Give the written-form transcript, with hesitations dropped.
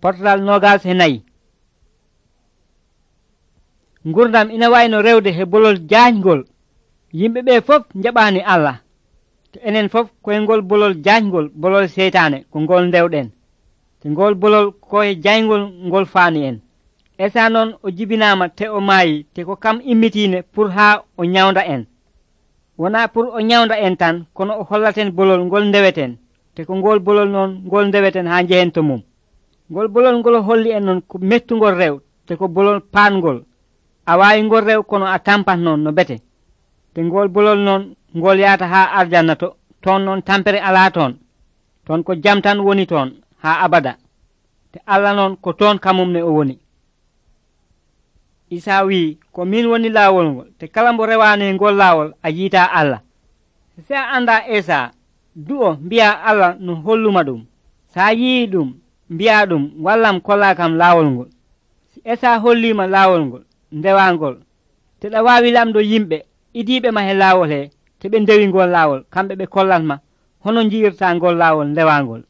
Portal 24. Gurdam ina wayno rewde he bolol jaajgol. Yimɓe ɓe fof njaɓaani Allah. To enen fof koye ngol bolol jaajgol, bolol seytaane ko ngol ndewɗen. Te ngol bolol koye jayngol ngol faani en. Esa noon o jibinaama te o maayi te ko kam immitiine pour haa o nyawnda en. Wonaa pour o nyawnda en tan, kono o hollaten bolol ngol ndeweten. Te ko ngol bolol noon ngol ndeweten haa njehen to mum. Ngol bolol ngol holli en noon ko mettugol rew, te ko bolol paangol. A waawi ngol rew kono a tampat noon no bete. Te ngol bolol noon ngol yaata haa arjanna to, toon noon tampere alaa toon. Toon ko jam tan woni toon haa abada. Te Allah noon ko toon kamum ne o woni. Isa wii ko min woni laawol ngol, te kala mbo rewaani ngol laawol a yiitaa Allah. Se a anndaa Esa, du'o mbi'a Allah no holluma ɗum. Sa yii ɗum, mbi'a ɗum wallam kollaakam laawol ngol. Si Esa holliima laawol ngol, ndewaangol, te ɗa waawi lamdo yimɓe idiiɓe ma he laawol he, te ɓe ndewi ngol laawol, kamɓe ɓe kollatma hono njiirta ngol laawol ndewaangol.